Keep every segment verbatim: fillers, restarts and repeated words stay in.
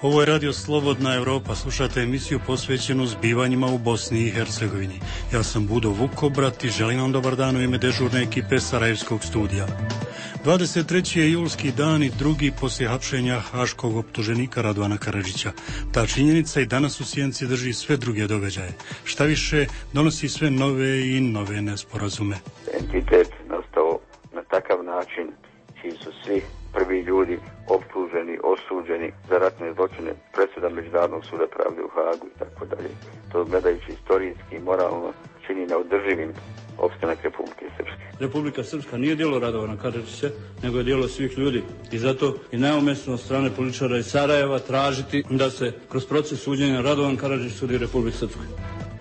Ovo je Radio Slobodna Evropa, slušate emisiju posvećenu zbivanjima u Bosni i Hercegovini. Ja sam Budo Vukobrat i želim vam dobar dan u ime dežurne ekipe Sarajevskog studija. dvadeset treći je julski dan i drugi poslije hapšenja haškog optuženika Radovana Karadžića. Ta činjenica i danas u sjenci drži sve druge događaje. Šta više, donosi sve nove i nove nesporazume. Entitet nastao na takav način čiji su svi prvi ljudi optuženi, osuđeni za ratne zločine, presuda Međunarodnog suda pravde u Hagu i tako dalje. To gledajući istorijski i moralno čini neodrživim opstanak Republike Srpske. Republika Srpska nije djelo Radovana Karadžića, nego je djelo svih ljudi. I zato je najumjesno od strane političara iz Sarajeva tražiti da se kroz proces suđenja Radovan Karadžić sudi Republike Srpske.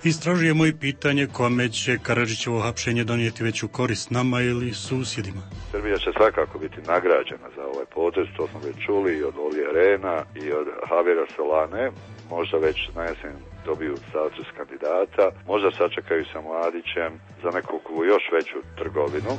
Istražujemo i pitanje kome će Karadžićevo hapšenje donijeti veću korist, nama ili susjedima. Srbija će svakako biti nagrađena za ovaj potez, to smo već čuli i od Olija Rehna i od Javira Solane. Možda već na jesen dobiju status kandidata, možda sačekaju sa Mladićem za neku još veću trgovinu.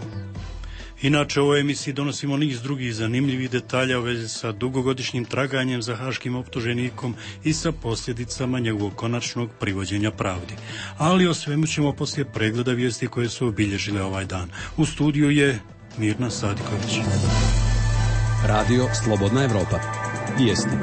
Inače, u ovoj emisiji donosimo niz drugih zanimljivih detalja u vezi sa dugogodišnjim traganjem za haškim optuženikom i sa posljedicama njegovog konačnog privođenja pravdi. Ali o svemu ćemo poslije pregleda vijesti koje su obilježile ovaj dan. U studiju je Mirna Sadiković. Radio Slobodna Evropa. Vijesti.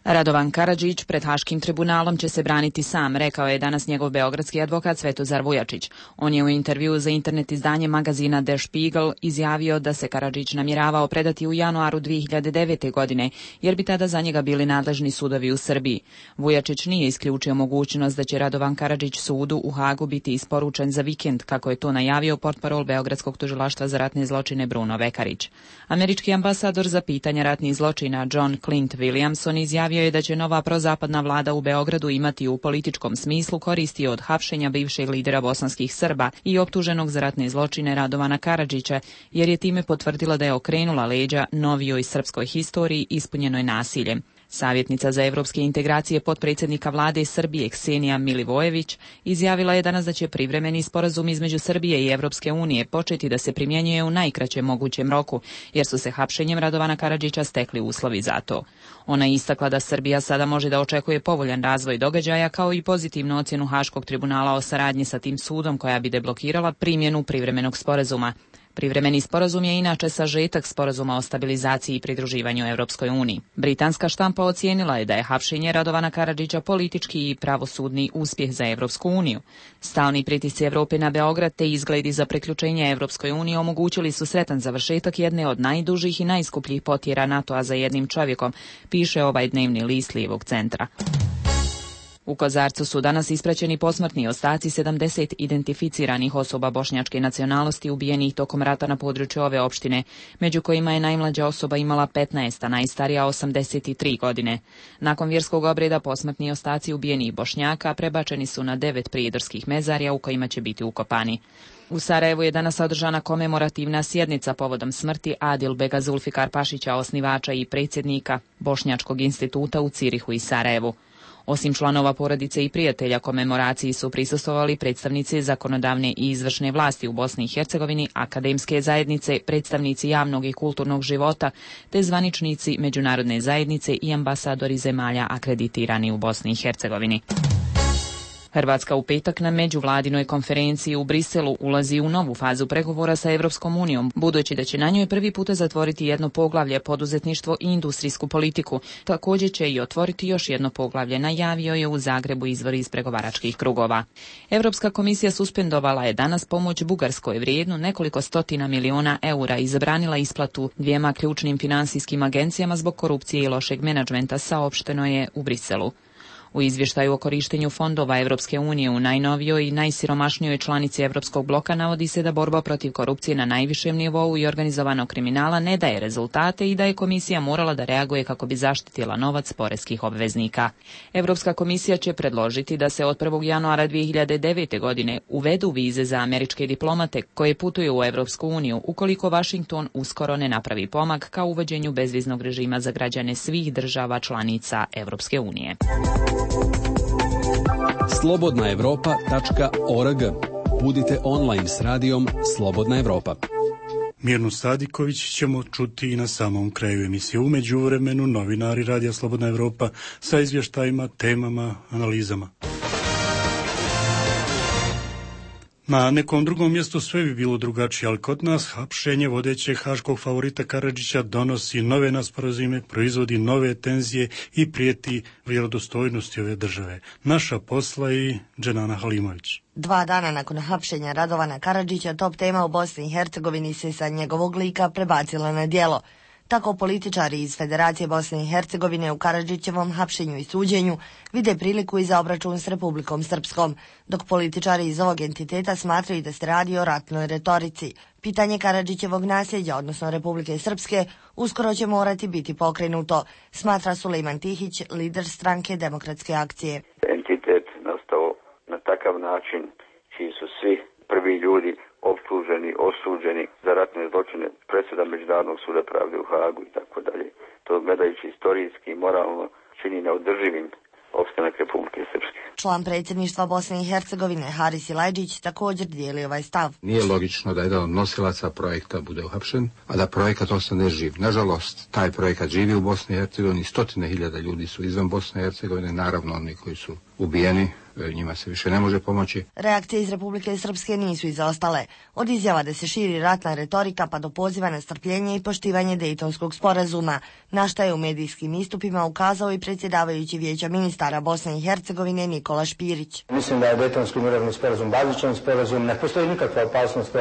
Radovan Karadžić pred Haškim tribunalom će se braniti sam, rekao je danas njegov beogradski advokat Svetozar Vujačić. On je u intervjuu za internet izdanje magazina Der Spiegel izjavio da se Karadžić namjeravao predati u januaru dvije hiljade devete. godine, jer bi tada za njega bili nadležni sudovi u Srbiji. Vujačić nije isključio mogućnost da će Radovan Karadžić sudu u Hagu biti isporučen za vikend, kako je to najavio portparol Beogradskog tužilaštva za ratne zločine Bruno Vekarić. Američki ambasador za pitanja ratnih zločina John Clint Williamson izjavio je da će nova prozapadna vlada u Beogradu imati u političkom smislu koristi od hapšenja bivšeg lidera bosanskih Srba i optuženog za ratne zločine Radovana Karadžića, jer je time potvrdila da je okrenula leđa novijoj srpskoj historiji ispunjenoj nasiljem. Savjetnica za evropske integracije potpredsjednika vlade Srbije Ksenija Milivojević izjavila je danas da će privremeni sporazum između Srbije i Evropske unije početi da se primjenjuje u najkraćem mogućem roku, jer su se hapšenjem Radovana Karadžića stekli uslovi za to. Ona je istakla da Srbija sada može da očekuje povoljan razvoj događaja kao i pozitivnu ocjenu Haškog tribunala o saradnji sa tim sudom koja bi deblokirala primjenu privremenog sporazuma. Privremeni sporazum je inače sažetak sporazuma o stabilizaciji i pridruživanju Europskoj uniji. Britanska štampa ocijenila je da je hapšenje Radovana Karadžića politički i pravosudni uspjeh za Europsku uniju. Stalni pritisci Europe na Beograd te izgledi za priključenje Europskoj uniji omogućili su sretan završetak jedne od najdužih i najskupljih potjera NATO-a za jednim čovjekom, piše ovaj dnevni list lijevog centra. U Kozarcu su danas ispraćeni posmrtni ostaci sedamdeset identificiranih osoba bošnjačke nacionalnosti ubijenih tokom rata na području ove opštine, među kojima je najmlađa osoba imala petnaest, a najstarija osamdeset tri godine. Nakon vjerskog obreda posmrtni ostaci ubijenih Bošnjaka prebačeni su na devet prijedorskih mezarja u kojima će biti ukopani. U Sarajevu je danas održana komemorativna sjednica povodom smrti Adilbega Zulfikar Pašića, osnivača i predsjednika Bošnjačkog instituta u Cirihu i Sarajevu. Osim članova porodice i prijatelja komemoraciji su prisustvovali predstavnici zakonodavne i izvršne vlasti u Bosni i Hercegovini, akademske zajednice, predstavnici javnog i kulturnog života, te zvaničnici međunarodne zajednice i ambasadori zemalja akreditirani u Bosni i Hercegovini. Hrvatska u petak na međuvladinoj konferenciji u Briselu ulazi u novu fazu pregovora sa Evropskom unijom, budući da će na njoj prvi puta zatvoriti jedno poglavlje poduzetništvo i industrijsku politiku. Također će i otvoriti još jedno poglavlje, najavio je u Zagrebu izvor iz pregovaračkih krugova. Europska komisija suspendovala je danas pomoć Bugarskoj vrijednu nekoliko stotina miliona eura i zabranila isplatu dvijema ključnim finansijskim agencijama zbog korupcije i lošeg menadžmenta, saopšteno je u Briselu. U izvještaju o korištenju fondova Evropske unije u najnovijoj i najsiromašnijoj članici Evropskog bloka navodi se da borba protiv korupcije na najvišem nivou i organizovanog kriminala ne daje rezultate i da je komisija morala da reaguje kako bi zaštitila novac poreskih obveznika. Evropska komisija će predložiti da se od prvog januara dvije hiljade devete. godine uvedu vize za američke diplomate koje putuju u Evropsku uniju ukoliko Washington uskoro ne napravi pomak ka uvođenju bezviznog režima za građane svih država članica Evropske unije. slobodna evropa tačka org. Budite online s radijom Slobodna Evropa. Mirnu Sadiković ćemo čuti i na samom kraju emisije. U međuvremenu novinari Radija Slobodna Evropa sa izvještajima, temama, analizama. Na nekom drugom mjestu sve bi bilo drugačije, ali kod nas hapšenje vodećeg haškog favorita Karadžića donosi nove nesporazume, proizvodi nove tenzije i prijeti vjerodostojnosti ove države. Naša posla i Dženana Halimović. Dva dana nakon hapšenja Radovana Karadžića, top tema u Bosni i Hercegovini se sa njegovog lika prebacila na djelo. Tako političari iz Federacije Bosne i Hercegovine u Karadžićevom hapšenju i suđenju vide priliku i za obračun s Republikom Srpskom, dok političari iz ovog entiteta smatraju da se radi o ratnoj retorici. Pitanje Karadžićevog nasljeđa, odnosno Republike Srpske, uskoro će morati biti pokrenuto, smatra Sulejman Tihić, lider stranke Demokratske akcije. Entitet nastao na takav način čiji su svi prvi ljudi optuženi, osuđeni za ratne zločine, presuda Međunarodnog suda pravde u Hagu i tako dalje. To gledajući istorijski i moralno čini neodrživim opstanak Republike Srpske. Član predsjedništva Bosne i Hercegovine Haris Ilajđić također dijeli ovaj stav. Nije logično da jedan od nosilaca projekta bude uhapšen, a da projekat ostane živ. Nažalost, taj projekat živi u Bosni i Hercegovini, stotine hiljada ljudi su izvan Bosne i Hercegovine, naravno oni koji su ubijeni, njima se više ne može pomoći. Reakcije iz Republike Srpske nisu izostale. Od izjava da se širi ratna retorika pa do poziva na strpljenje i poštivanje Dejtonskog sporazuma, na šta je u medijskim istupima ukazao i predsjedavajući Vijeća ministara Bosne i Hercegovine Nikola Špirić. Mislim da je Dejtonski mirovni sporazum bazičan sporazum, ne postoji nikakva opasnost,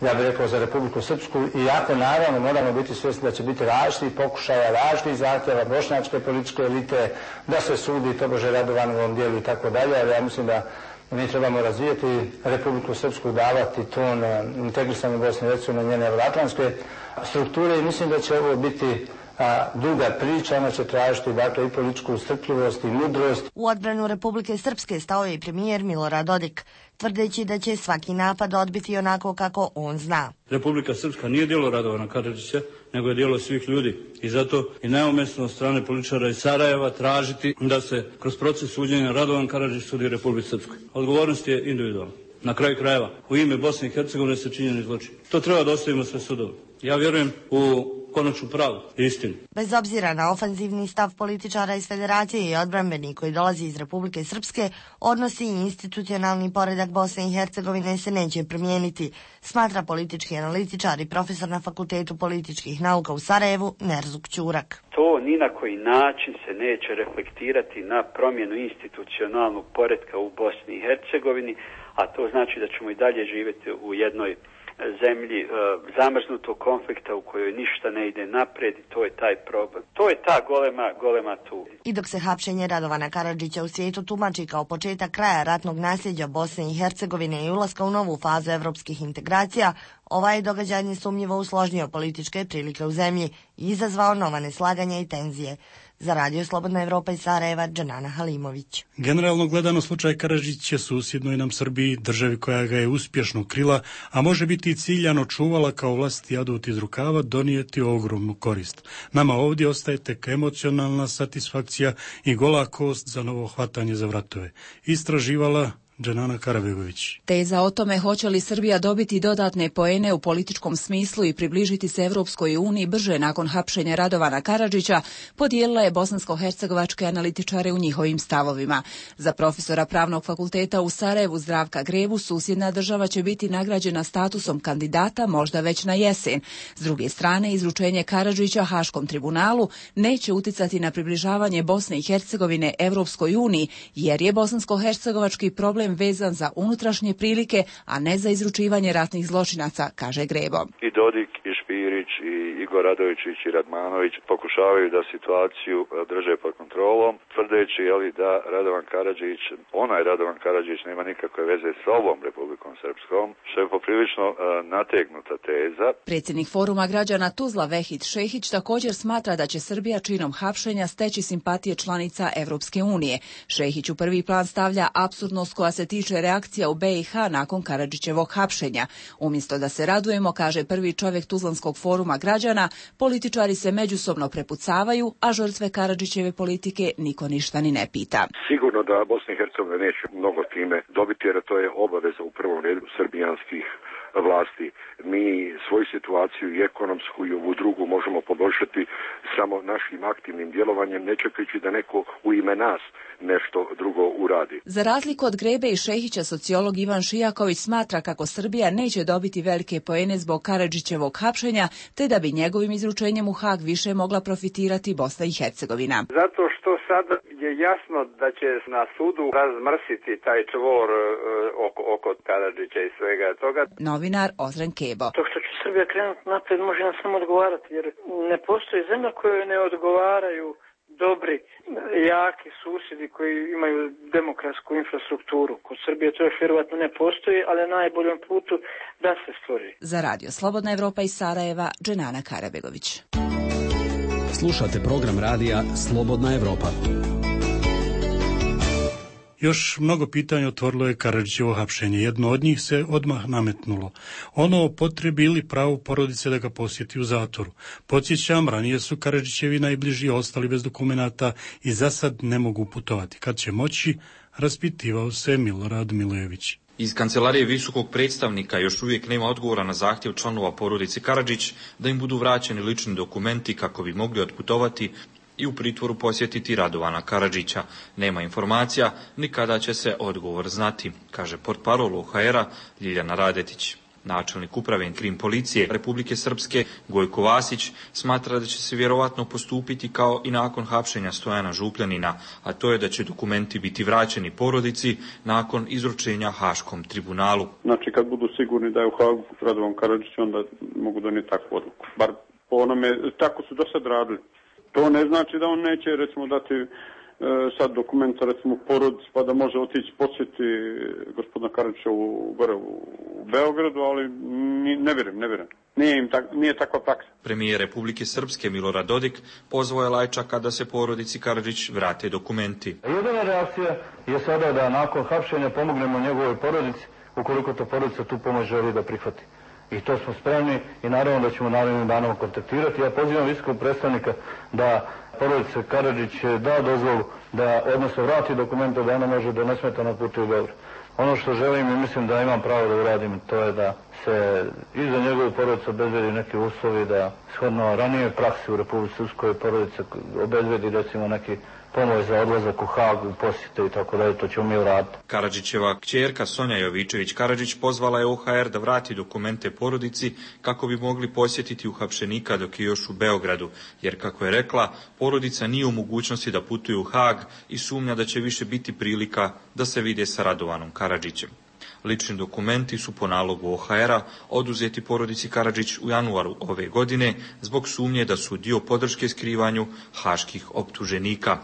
ja bih rekao, za Republiku Srpsku, iako naravno moramo biti svjesni da će biti različitih pokušaja, različitih zahtjeva bošnjačke političke elite, da se sudi tobože Radovanovom dijelu i tako dalje, ali ja mislim da mi trebamo razvijeti Republiku Srpsku, davati ton integrisane Bosne i Hercegovine, njene evroatlantske strukture i mislim da će ovo biti a, duga priča, ona će tražiti dakle i političku strpljivost i mudrost. U odbranu Republike Srpske stao je i premijer Milorad Dodik, tvrdeći da će svaki napad odbiti onako kako on zna. Republika Srpska nije djelo Radovana Karadžića, nego je djelo svih ljudi. I zato i neumjesno od strane političara iz Sarajeva tražiti da se kroz proces suđenja Radovan Karadžić sudi Republici Srpskoj. Odgovornost je individualna. Na kraju krajeva, u ime Bosne i Hercegovine se činjeni zločin. To treba da ostavimo sve sudove. Ja vjerujem u konačnu pravu i istinu. Bez obzira na ofanzivni stav političara iz Federacije i odbrambeni koji dolazi iz Republike Srpske, odnosi i institucionalni poredak Bosne i Hercegovine se neće promijeniti, smatra politički analitičar i profesor na Fakultetu političkih nauka u Sarajevu Nerzuk Ćurak. To ni na koji način se neće reflektirati na promjenu institucionalnog poretka u Bosni i Hercegovini, a to znači da ćemo i dalje živjeti u jednoj zemlji e, zamrznutog konflikta u kojoj ništa ne ide naprijed i to je taj problem. To je ta golema, golema tu. I dok se hapšenje Radovana Karadžića u svijetu tumači kao početak kraja ratnog nasljeđa Bosne i Hercegovine i ulaska u novu fazu evropskih integracija, ovaj događaj nesumnjivo usložnio političke prilike u zemlji i izazvao nova neslaganja i tenzije. Za Radio Slobodna Evropa iz Sarajeva, Dženana Halimović. Generalno gledano, slučaj Karadžić je susjednoj nam Srbiji, državi koja ga je uspješno krila, a može biti i ciljano čuvala kao vlastiti adut iz rukava, donijeti ogromnu korist. Nama ovdje ostaje tek emocionalna satisfakcija i gola kost za novo hvatanje za vratove. Istraživala Dženana Karabegović. Teza o tome hoće li Srbija dobiti dodatne poene u političkom smislu i približiti se Evropskoj uniji brže nakon hapšenja Radovana Karadžića podijelila je bosansko-hercegovačke analitičare u njihovim stavovima. Za profesora Pravnog fakulteta u Sarajevu Zdravka Grebu susjedna država će biti nagrađena statusom kandidata možda već na jesen. S druge strane, izručenje Karadžića Haškom tribunalu neće uticati na približavanje Bosne i Hercegovine Evropskoj uniji, jer je bosansko-hercegovački problem vezan za unutrašnje prilike, a ne za izručivanje ratnih zločinaca, kaže Grebo. I Dodik, i Špirić, i Igor Radovičić, i Radmanović pokušavaju da situaciju drže pod kontrolom, tvrdeći jeli, da Radovan Karadžić, onaj Radovan Karadžić nema nikakve veze s ovom Republikom Srpskom, što je poprilično uh, nategnuta teza. Predsjednik Foruma građana Tuzla Vehid Šehić također smatra da će Srbija činom hapšenja steći simpatije članica Evropske unije. Šehić u prvi plan stavlja apsurdnost koja se tiče reakcija u B i H nakon Karadžićevog hapšenja. Umjesto da se radujemo, kaže prvi čovjek Tuzlanskog foruma građana, političari se međusobno prepucavaju, a žrtve Karadžićeve politike niko ništa ni ne pita. Sigurno da Bosna i Hercegovina neće mnogo time dobiti, jer to je obaveza u prvom redu srbijanskih vlasti. Mi svoju situaciju i ekonomsku i ovu drugu možemo poboljšati samo našim aktivnim djelovanjem, ne čekajući da neko u ime nas nešto drugo uradi. Za razliku od Grebe i Šehića, sociolog Ivan Šijaković smatra kako Srbija neće dobiti velike poene zbog Karadžićevog hapšenja, te da bi njegovim izručenjem u Hag više mogla profitirati Bosna i Hercegovina. Zato što sad je jasno da će na sudu razmrsiti taj čvor uh, oko, oko Karadžića i svega toga. Novinar Ozren Kebo. To što će Srbija krenuti napred može nam samo odgovarati, jer ne postoji zemlja kojoj ne odgovaraju dobri, jaki susjedi koji imaju demokratsku infrastrukturu. Kod Srbije to još vjerovatno ne postoji, ali na najboljem putu da se stvori. Za radio Slobodna Evropa iz Sarajeva, Dženana Karabegović. Slušate program radija Slobodna Evropa. Još mnogo pitanja otvorilo je Karadžićevo hapšenje. Jedno od njih se odmah nametnulo. Ono o potrebi ili pravu porodice da ga posjeti u zatvoru. Podsjećam, ranije su Karadžićevi najbliži ostali bez dokumenata i za sad ne mogu putovati. Kad će moći, raspitivao se Milorad Milojević. Iz kancelarije visokog predstavnika još uvijek nema odgovora na zahtjev članova porodice Karadžić da im budu vraćeni lični dokumenti kako bi mogli otputovati i u pritvoru posjetiti Radovana Karadžića. Nema informacija ni kada će se odgovor znati, kaže portparol O H R-a Ljiljana Radetić. Načelnik uprave krim policije Republike Srpske Gojko Vasić smatra da će se vjerovatno postupiti kao i nakon hapšenja Stojana Župljanina, a to je da će dokumenti biti vraćeni porodici nakon izručenja Haškom tribunalu. Znači kad budu sigurni da je u Hagu Radovan Karadžić, onda mogu donijeti takvu odluku. Bar po onome, tako su do sad radili. To ne znači da on neće, recimo, dati e, sad dokumenta, recimo, porodici, pa da može otići posjeti gospodina Karadžića u, gore u, u Beogradu, ali ni, ne vjerujem, ne vjerujem. Nije, im tak, nije takva praksa. Premijer Republike Srpske Milorad Dodik pozvao je Lajčaka da se porodici Karadžić vrate dokumenti. Jedina reakcija je sada da nakon hapšenja pomognemo njegovoj porodici, ukoliko to porodica tu pomoć želi da prihvati. I to smo spremni i naravno da ćemo narednim danom kontaktirati. Ja pozivam visokog predstavnika da porodica Karadžić da dozvolu da, odnosno vrati dokumente da ona može da nesmetano putuje u Beograd. Ono što želim i mislim da imam pravo da uradim, to je da se i za njegovu porodicu obezvedi neki uslovi, da shodno ranije praksi u Republici Srpskoj porodica obezvedi recimo neki pomoć za odlazak u Hagu, posjete i tako dalje, to ćemo mi uraditi. Karadžićeva kćerka Sonja Jovičević Karadžić pozvala je O H R da vrati dokumente porodici kako bi mogli posjetiti uhapšenika dok je još u Beogradu, jer kako je rekla, porodica nije u mogućnosti da putuje u Hag i sumnja da će više biti prilika da se vide sa Radovanom Karadžićem. Lični dokumenti su po nalogu O H R-a oduzeti porodici Karadžić u januaru ove godine zbog sumnje da su dio podrške skrivanju haških optuženika.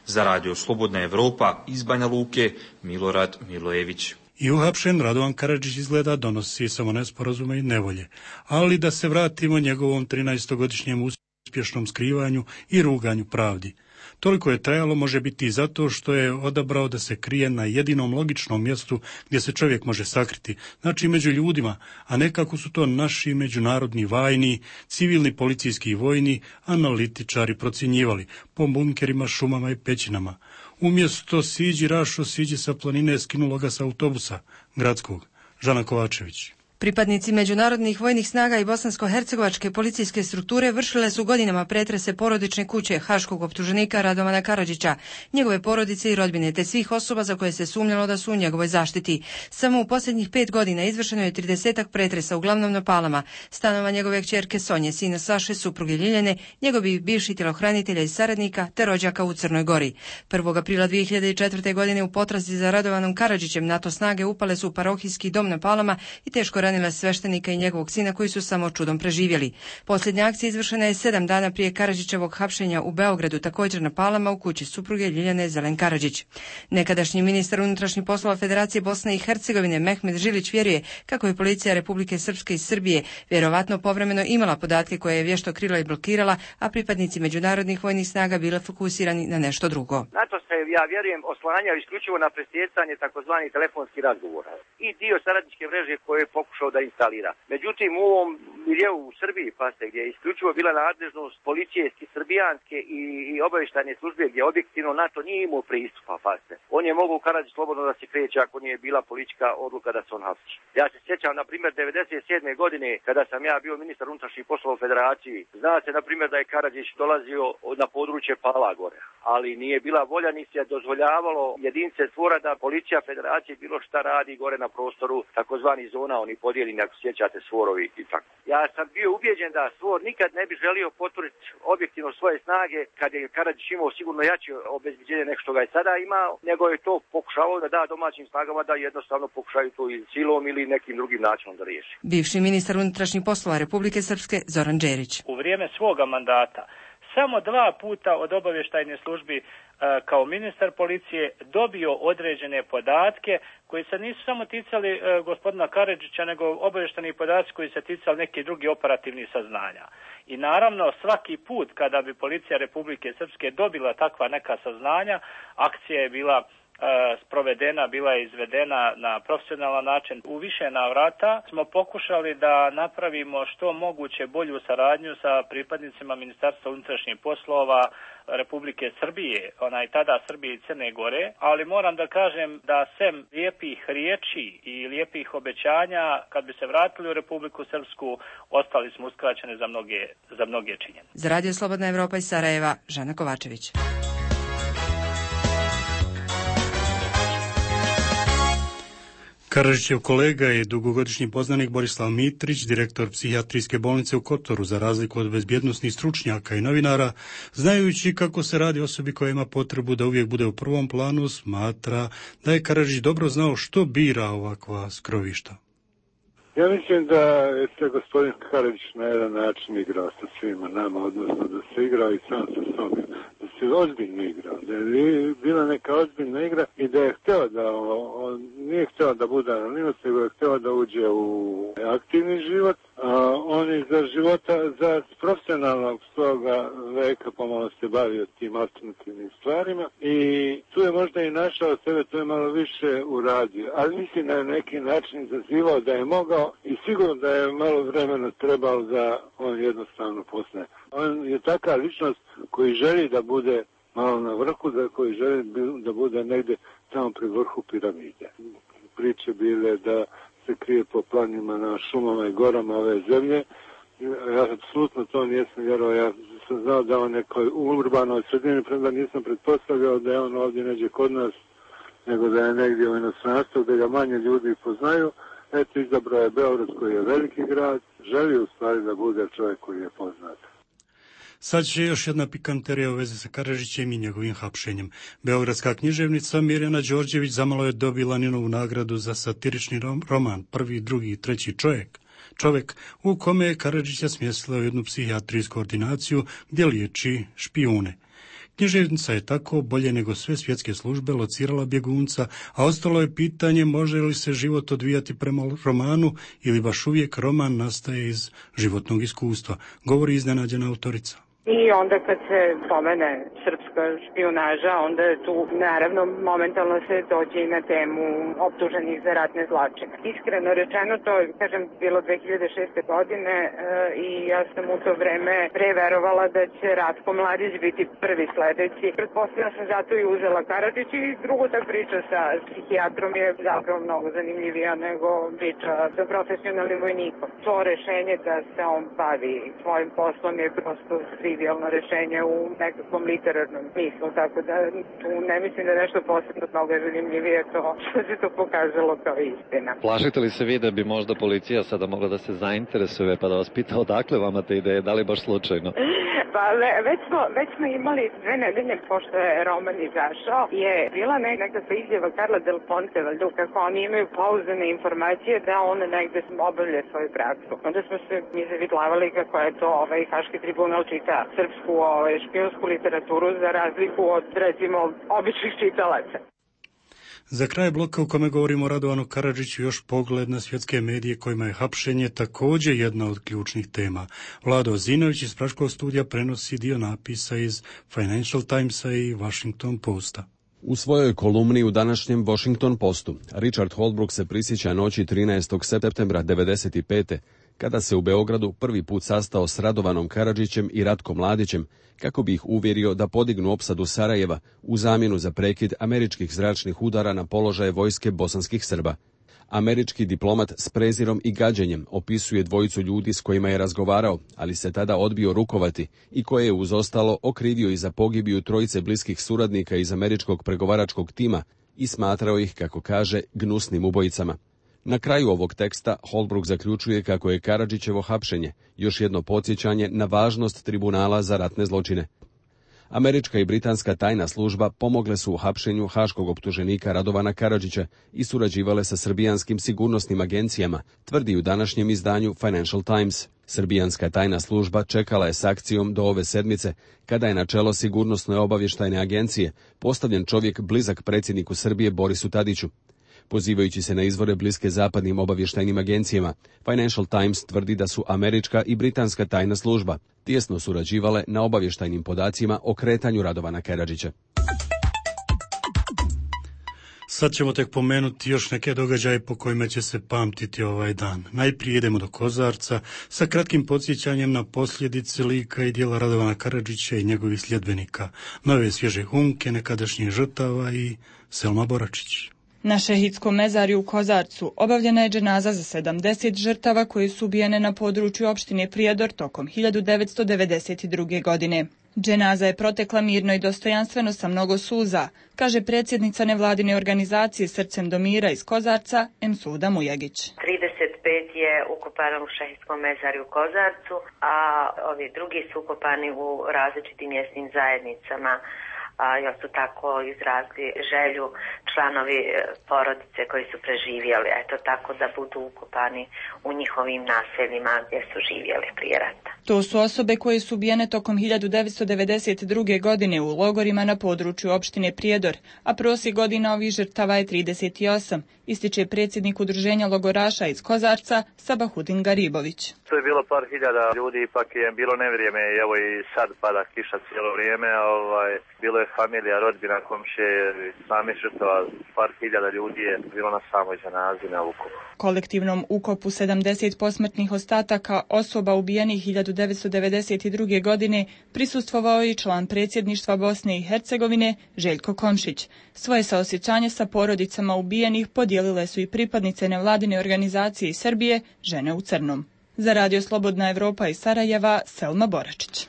Za radio Slobodna Evropa iz Banja Luke, Milorad Milojević. I uhapšen Radovan Karadžić izgleda donosi samo nesporazume i nevolje, ali da se vratimo njegovom trinaestogodišnjem uspješnom skrivanju i ruganju pravdi. Toliko je trajalo, može biti i zato što je odabrao da se krije na jedinom logičnom mjestu gdje se čovjek može sakriti, znači među ljudima, a ne kako su to naši međunarodni vajni, civilni policijski i vojni analitičari procjenjivali po bunkerima, šumama i pećinama. Umjesto siđi Rašo, siđi sa planine, skinulo ga sa autobusa gradskog. Žana Kovačević. Pripadnici međunarodnih vojnih snaga i bosansko-hercegovačke policijske strukture vršile su godinama pretrese porodične kuće haškog optuženika Radovana Karadžića, njegove porodice i rodbine, te svih osoba za koje se sumnjalo da su u njegovoj zaštiti. Samo u posljednjih pet godina izvršeno je tridesetak pretresa, uglavnom na Palama, stanova njegove kćerke Sonje, sina Saše, supruge Ljiljane, njegovih bivših tjelohranitelja i saradnika, te rođaka u Crnoj Gori. prvog aprila dvije hiljade četvrte. godine u potrazi za Radovanom Karadžićem NATO snage upale su u parohijski dom na Palama i teško ranile sveštenika i njegovog sina koji su samo čudom preživjeli. Posljednja akcija izvršena je sedam dana prije Karadžićevog hapšenja u Beogradu, također na Palama u kući supruge Ljiljane Zelen Karadžić. Nekadašnji ministar unutrašnjih poslova Federacije Bosne i Hercegovine Mehmet Žilić vjeruje kako je policija Republike Srpske i Srbije vjerovatno povremeno imala podatke koje je vješto krila i blokirala, a pripadnici međunarodnih vojnih snaga bile fokusirani na nešto drugo. NATO se, ja vjerujem, oslanjao isključivo na presjecanje takozvanih telefonskih razgovora i dio saradničke mreže koje je pokušao pokušao da instalira. Međutim, u ovom miljeu u Srbiji, pasite, gdje je isključivo bila nadležnost policijske, srbijanske i, i obavještajne službe, gdje objektivno NATO nije imao pristupa, pasite. On je mogao u Karadžić slobodno da se kreće ako nije bila politička odluka da se on hapsi. Ja se sjećam, na primjer, devedeset sedme godine, kada sam ja bio ministar unutrašnjih poslova u Federaciji, zna se, na primjer, da je Karadžić dolazio na područje Pala gore, ali nije bila volja ni se dozvoljavalo jedinice stvora da policija Federacije bilo šta radi gore na prostoru takozvani zona, oni podijeljeni, ako sjećate, stvorovi i tako. Ja sam bio ubijeđen da stvor nikad ne bi želio potvrditi objektivno svoje snage kad je Karadžić imao sigurno jače obezbeđenje nego što ga je sada imao, nego je to pokušavao da da domaćim snagama da jednostavno pokušaju to i silom ili nekim drugim načinom da riješi. Bivši ministar unutrašnjih poslova Republike Srpske Zoran Đerić. U vrijeme svoga mandata samo dva puta od obavještajne službi kao ministar policije dobio određene podatke koji se nisu samo ticali e, gospodina Karadžića, nego obavješteni podaci koji se ticali nekih drugih operativnih saznanja. I naravno svaki put kada bi policija Republike Srpske dobila takva neka saznanja, akcija je bila sprovedena, bila je izvedena na profesionalan način. U više navrata smo pokušali da napravimo što moguće bolju saradnju sa pripadnicima Ministarstva unutrašnjih poslova Republike Srbije, onaj tada Srbije i Crne Gore, ali moram da kažem da sem lijepih riječi i lijepih obećanja, kad bi se vratili u Republiku Srpsku, ostali smo uskraćeni za mnoge, za mnoge činjenice. Za Radio Slobodna Evropa iz Sarajeva, Žana Kovačević. Karadžićev kolega je dugogodišnji poznanik Borislav Mitrić, direktor psihijatrijske bolnice u Kotoru, za razliku od bezbjednosnih stručnjaka i novinara, znajući kako se radi osobi koja ima potrebu da uvijek bude u prvom planu, smatra da je Karadžić dobro znao što bira ovakva skrovišta. Ja mislim da je se gospodin Karadžić na jedan način igrao sa svima nama, odnosno da se igrao i sam sa sobom, da se ozbiljno igrao, da je bila neka ozbiljna igra i da je htio da, on nije htio da bude anonimac, nego je htio da uđe u aktivni život, a on je za života, za profesionalnog svoga veka pomalo se bavio tim alternativnim stvarima i tu je možda i našao sebe, to je malo više uradio, ali mislim da je na neki način izazivao da je mogao i sigurno da je malo vremena trebalo da on jednostavno postane. On je taka ličnost koji želi da bude malo na vrhu, da koji želi da bude negdje tamo pri vrhu piramide. Priče bile da se krije po planima na šumama i gorama ove zemlje. Ja apsolutno to nisam vjerovao. Ja sam znao da on nekoj urbanoj sredini, premda nisam pretpostavljao da je on ovdje neđe kod nas, nego da je negdje u inostranstvu, da ga manje ljudi poznaju. Eto, izabrao je Beograd koji je veliki grad, želi u stvari da bude čovjek koji je poznat. Sad će još jedna pikanterija u vezi sa Karadžićem i njegovim hapšenjem. Beogradska književnica Mirjana Đorđević zamalo je dobila Ninovu nagradu za satirični roman Prvi, drugi i treći čovjek. Čovjek u kome je Karadžića smjestila u jednu psihijatrijsku ordinaciju gdje liječi špijune. Književnica je tako, bolje nego sve svjetske službe, locirala bjegunca, a ostalo je pitanje može li se život odvijati prema romanu ili baš uvijek roman nastaje iz životnog iskustva, govori iznenađena autorica. I onda kad se spomene srpska špijunaža, onda je tu naravno momentalno se dođe i na temu optuženih za ratne zločine. Iskreno rečeno, to je, kažem, bilo dve hiljade šeste godine e, i ja sam u to vreme preverovala da će Ratko Mladić biti prvi sledeći. Pretpostavljam sam zato i uzela Karadžić i drugo ta priča sa psihijatrom je zapravo mnogo zanimljivija nego priča sa profesionalnim vojnikom. To rešenje da se on bavi svojim poslom je prosto trivijalno rešenje u nekakvom literarnom smislu, tako da tu ne mislim da je nešto posebno mnogo zanimljivije to što se to pokazalo kao istina. Plašite li se vi da bi možda policija sada mogla da se zainteresuje pa da vas pita odakle vama te ideje, da li baš slučajno? Pa već smo, već smo imali dve nedelje pošto je roman izašao, je bila nekakva izjava Karla Del Ponte, valjda, kako oni imaju pouzdane informacije da on negde obavlja svoju praksu. Onda smo se mi zavitlavali kako je to ovaj Haški tribunal čita srpsku ovaj, špijunsku literaturu za razliku od, recimo, običnih čitalaca. Za kraj bloka u kome govorimo o Radovanu Karadžiću još pogled na svjetske medije kojima je hapšenje također jedna od ključnih tema. Vlado Zinović iz Praškog studija prenosi dio napisa iz Financial Timesa i Washington Posta. U svojoj kolumni u današnjem Washington Postu Richard Holbrooke se prisjeća noći trinaestog septembra devedeset pete kada se u Beogradu prvi put sastao s Radovanom Karadžićem i Ratkom Mladićem kako bi ih uvjerio da podignu opsadu Sarajeva u zamjenu za prekid američkih zračnih udara na položaje vojske bosanskih Srba. Američki diplomat s prezirom i gađenjem opisuje dvojicu ljudi s kojima je razgovarao, ali se tada odbio rukovati i koje je uz ostalo okrivio i za pogibiju trojice bliskih suradnika iz američkog pregovaračkog tima i smatrao ih, kako kaže, gnusnim ubojicama. Na kraju ovog teksta Holbrooke zaključuje kako je Karadžićevo hapšenje još jedno podsjećanje na važnost tribunala za ratne zločine. Američka i britanska tajna služba pomogle su u hapšenju haškog optuženika Radovana Karadžića i surađivale sa srbijanskim sigurnosnim agencijama, tvrdi u današnjem izdanju Financial Times. Srbijanska tajna služba čekala je s akcijom do ove sedmice, kada je na čelo sigurnosne obavještajne agencije postavljen čovjek blizak predsjedniku Srbije Borisu Tadiću. Pozivajući se na izvore bliske zapadnim obavještajnim agencijama, Financial Times tvrdi da su američka i britanska tajna služba tijesno surađivale na obavještajnim podacima o kretanju Radovana Karadžića. Sad ćemo tek pomenuti još neke događaje po kojima će se pamtiti ovaj dan. Najprije idemo do Kozarca sa kratkim podsjećanjem na posljedice lika i djela Radovana Karadžića i njegovih sljedbenika, nove svježe humke, nekadašnjih žrtava i Selma Boračić. Na šehidskom mezarju u Kozarcu obavljena je dženaza za sedamdeset žrtava koji su ubijene na području opštine Prijedor tokom hiljadu devetsto devedeset druge. godine. Dženaza je protekla mirno i dostojanstveno sa mnogo suza, kaže predsjednica nevladine organizacije Srcem do mira iz Kozarca, Emsuda Mujagić. trideset pet je ukopano u šehidskom mezarju u Kozarcu, a ovi drugi su ukopani u različitim mjesnim zajednicama. A još su tako izrazili želju članovi porodice koji su preživjeli, eto tako da budu ukopani u njihovim naseljima gdje su živjeli prije rata. To su osobe koje su ubijene tokom hiljadu devetsto devedeset druge. godine u logorima na području opštine Prijedor, a prosjek godina ovih žrtava je trideset osam, ističe predsjednik udruženja logoraša iz Kozarca Sabahudin Garibović. To je bilo par hiljada ljudi, ipak je bilo nevrijeme, evo i sad pada kiša cijelo vrijeme, ovaj, bilo je familija, rodbina, komšije, sami žrtava, par hiljada ljudi je bilo na samoj dženazi na ukopu. Kolektivnom ukopu sedamdeset posmrtnih ostataka osoba ubijenih hiljadu devetsto devedeset druge. godine prisustvovao je i član predsjedništva Bosne i Hercegovine Željko Komšić. Svoje saosjećanje sa porodicama ubijenih podijelile su i pripadnice nevladine organizacije iz Srbije Žene u crnom. Za Radio Slobodna Evropa iz Sarajeva, Selma Boračić.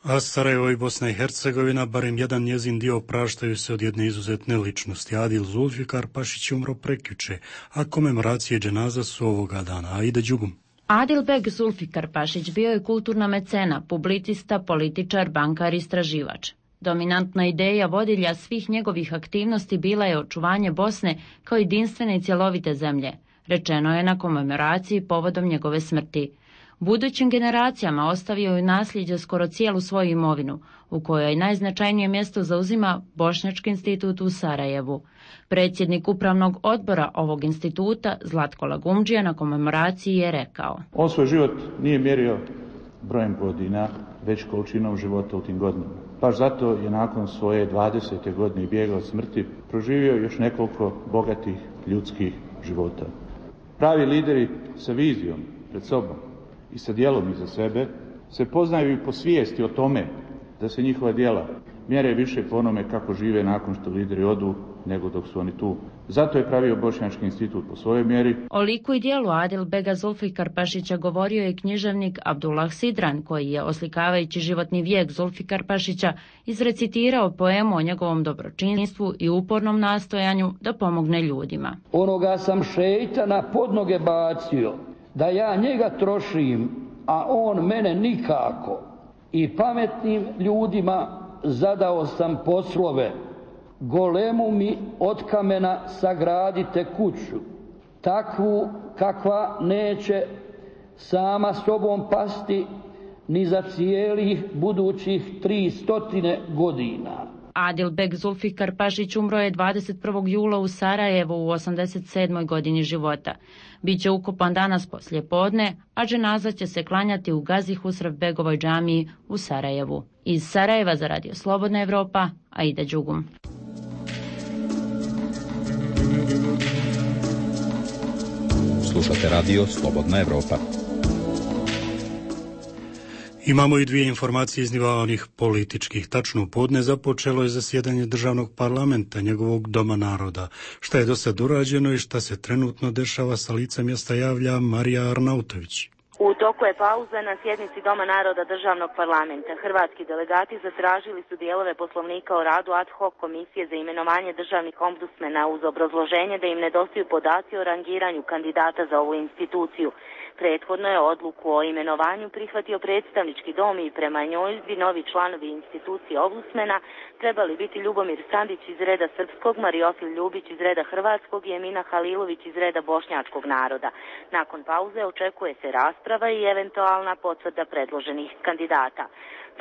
A Sarajevo i Bosna i Hercegovina, barem jedan njezin dio, praštaju se od jedne izuzetne ličnosti. Adil Zulfikar Pašić je umro prekjuče, a komemoracije dženaza su ovoga dana. Aida Đugum. Adilbeg Zulfikar Pašić bio je kulturna mecena, publicista, političar, bankar, istraživač. Dominantna ideja vodilja svih njegovih aktivnosti bila je očuvanje Bosne kao jedinstvene i cjelovite zemlje, rečeno je na komemoraciji povodom njegove smrti. Budućim generacijama ostavio je u nasljeđe skoro cijelu svoju imovinu, u kojoj najznačajnije mjesto zauzima Bošnjački institut u Sarajevu. Predsjednik upravnog odbora ovog instituta, Zlatko Lagumdžija, na komemoraciji je rekao: On svoj život nije mjerio brojem godina, već količinom života u tim godinama. Baš zato je nakon svoje dvadesete godine bijega od smrti proživio još nekoliko bogatih ljudskih života. Pravi lideri sa vizijom pred sobom i sa djelom iza sebe se poznaju i po svijesti o tome da se njihova djela mjere više po onome kako žive nakon što lideri odu nego dok su oni tu. Zato je pravio Bošnjački institut po svojoj mjeri. O liku i dijelu Adilbega Zulfikar Pašića govorio je književnik Abdullah Sidran, koji je, oslikavajući životni vijek Zulfikar Pašića, izrecitirao poemu o njegovom dobročinstvu i upornom nastojanju da pomogne ljudima. Onoga sam šejtana pod noge bacio, da ja njega trošim, a on mene nikako. I pametnim ljudima zadao sam poslove, golemu mi od kamena sagradite kuću, takvu kakva neće sama sobom pasti ni za cijelih budućih tri stotine godina. Adilbeg Zulfikar Pašić umro je dvadeset prvog jula u Sarajevu u osamdeset sedmoj godini života. Biće ukopan danas poslije podne, a dženaza će se klanjati u Gazi Husrevbegovoj džamiji u Sarajevu. Iz Sarajeva za Radio Slobodna Evropa, Aida Đugum. Slušate radio Slobodna Evropa. Imamo i dvije informacije iz nivoa onih političkih. Tačno u podne započelo je zasjedanje državnog parlamenta, njegovog Doma naroda. Šta je do sad urađeno i šta se trenutno dešava, sa lica mjesta javlja Marija Arnautović. U toku je pauza na sjednici Doma naroda državnog parlamenta. Hrvatski delegati zatražili su dijelove poslovnika o radu ad hoc komisije za imenovanje državnih ombudsmena uz obrazloženje da im nedostaju podaci o rangiranju kandidata za ovu instituciju. Prethodno je odluku o imenovanju prihvatio predstavnički dom i prema njoj bi novi članovi institucije ombudsmena trebali biti Ljubomir Sandić iz reda srpskog, Mariofil Ljubić iz reda hrvatskog i Emina Halilović iz reda bošnjačkog naroda. Nakon pauze očekuje se rasprava i eventualna potvrda predloženih kandidata.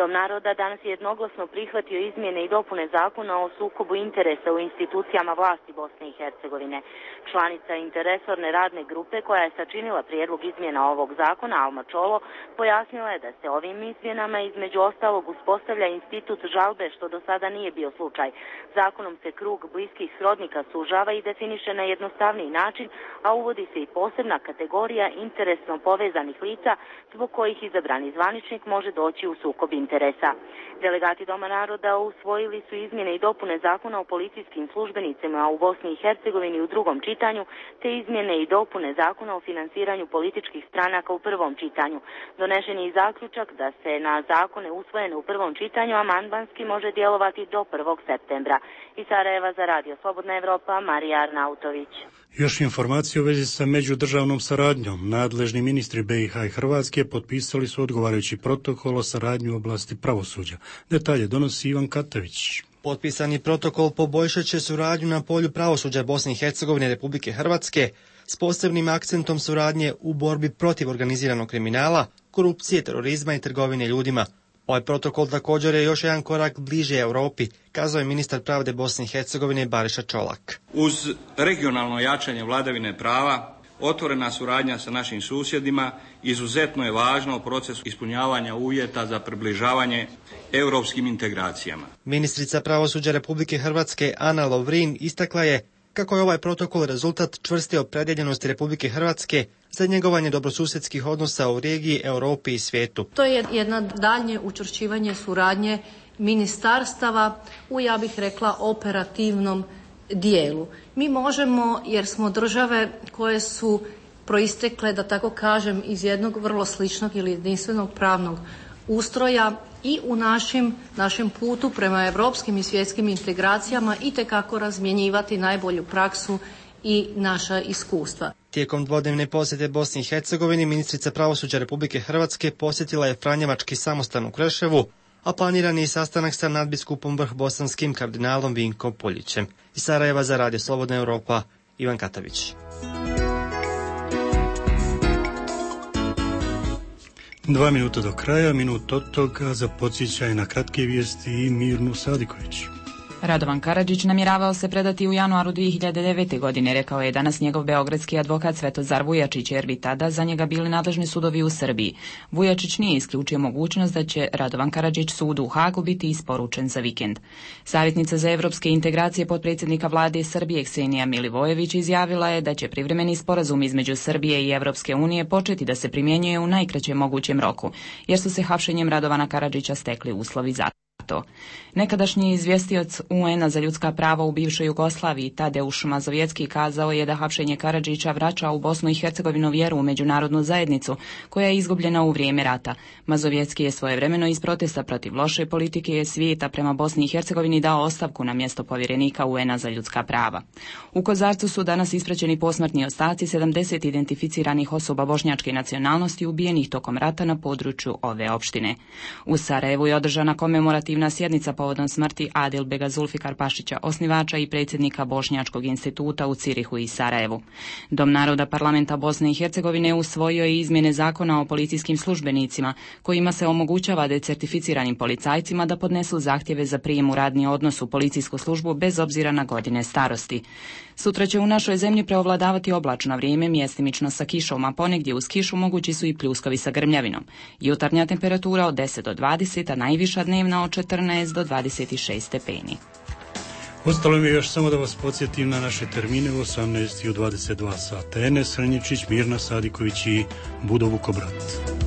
Dom naroda danas je jednoglasno prihvatio izmjene i dopune zakona o sukobu interesa u institucijama vlasti Bosne i Hercegovine. Članica interresorne radne grupe koja je sačinila prijedlog izmjena ovog zakona, Alma Čolo, pojasnila je da se ovim izmjenama između ostalog uspostavlja institut žalbe, što do sada nije bio slučaj. Zakonom se krug bliskih srodnika sužava i definiše na jednostavniji način, a uvodi se i posebna kategorija interesno povezanih lica zbog kojih izabrani zvaničnik može doći u sukob interesa. Delegati Doma naroda usvojili su izmjene i dopune zakona o policijskim službenicima u Bosni i Hercegovini u drugom čitanju, te izmjene i dopune zakona o finansiranju političkih stranaka u prvom čitanju. Donešen je i zaključak da se na zakone usvojene u prvom čitanju amandmanski može djelovati do prvog septembra. Iz Sarajeva za radio Slobodna Evropa, Marija Arnautović. Još informacije u vezi sa međudržavnom saradnjom. Nadležni ministri B i H i Hrvatske potpisali su odgovarajući protokol o saradnji u oblasti pravosuđa. Detalje donosi Ivan Katavić. Potpisani protokol poboljšat će suradnju na polju pravosuđa Bosne i Hercegovine i Republike Hrvatske s posebnim akcentom suradnje u borbi protiv organiziranog kriminala, korupcije, terorizma i trgovine ljudima. Ovaj protokol također je još jedan korak bliže Europi, kazao je ministar pravde Bosne i Hercegovine Bariša Čolak. Uz regionalno jačanje vladavine prava, otvorena suradnja sa našim susjedima izuzetno je važna u procesu ispunjavanja uvjeta za približavanje europskim integracijama. Ministrica pravosuđa Republike Hrvatske Ana Lovrin istakla je kako je ovaj protokol rezultat čvrste opredjeljenosti Republike Hrvatske za njegovanje dobrosusjedskih odnosa u regiji, Europi i svijetu. To je jedno daljnje učvršćivanje suradnje ministarstava u, ja bih rekla, operativnom dijelu. Mi možemo, jer smo države koje su proistekle, da tako kažem, iz jednog vrlo sličnog ili jedinstvenog pravnog ustroja i u našim, našem putu prema europskim i svjetskim integracijama itekako razmjenjivati najbolju praksu i naša iskustva. Tijekom dvodnevne posjete Bosni i Hercegovini ministrica pravosuđa Republike Hrvatske posjetila je Franjevački samostan u Kreševu, a planirani je sastanak sa nadbiskupom vrhbosanskim kardinalom Vinkom Poljićem. Iz Sarajeva za radio Slobodna Europa, Ivan Katavić. Dva minuta do kraja, minut od toga za podsjećaj na kratke vijesti i Mirnu Sadiković. Radovan Karadžić namjeravao se predati u januaru dvije hiljade devete. godine, rekao je danas njegov beogradski advokat Svetozar Vujačić, jer bi tada za njega bili nadležni sudovi u Srbiji. Vujačić nije isključio mogućnost da će Radovan Karadžić sudu u Hagu biti isporučen za vikend. Savjetnica za evropske integracije potpredsjednika vlade Srbije Ksenija Milivojević izjavila je da će privremeni sporazum između Srbije i Evropske unije početi da se primjenjuje u najkraćem mogućem roku, jer su se hapšenjem Radovana Karadžića stekli uslovi za to. Nekadašnji izvjestioc U N-a za ljudska prava u bivšoj Jugoslaviji Tadeuš Mazovjetski kazao je da hapšenje Karadžića vraća u Bosnu i Hercegovinu vjeru u međunarodnu zajednicu koja je izgubljena u vrijeme rata. Mazovjetski je svojevremeno iz protesta protiv loše politike svijeta prema Bosni i Hercegovini dao ostavku na mjesto povjerenika U N-a za ljudska prava. U Kozarcu su danas ispraćeni posmrtni ostaci sedamdeset identificiranih osoba bošnjačke nacionalnosti ubijenih tokom rata na području ove opštine. U Sarajevu je održana komemorativna sjednica povodom smrti Adilbega Zulfikarpašića, osnivača i predsjednika Bošnjačkog instituta u Cirihu i Sarajevu. Dom naroda parlamenta Bosne i Hercegovine usvojio je izmjene zakona o policijskim službenicima, kojima se omogućava decertificiranim policajcima da podnesu zahtjeve za prijem u radni odnos u policijsku službu bez obzira na godine starosti. Sutra će u našoj zemlji preovladavati oblačno vrijeme, mjestimično sa kišom, a ponegdje uz kišu mogući su i pljuskovi sa grmljavinom. Jutarnja temperatura od deset do dvadeset, a najviša dnevna od četrnaest do dvadeset šest stepeni. Ostalo mi je još samo da vas podsjetim na naše termine u osamnaest i u dvadeset dva sata. Enes Hrnjičić, Mirna Sadiković i Budo Vukobrat.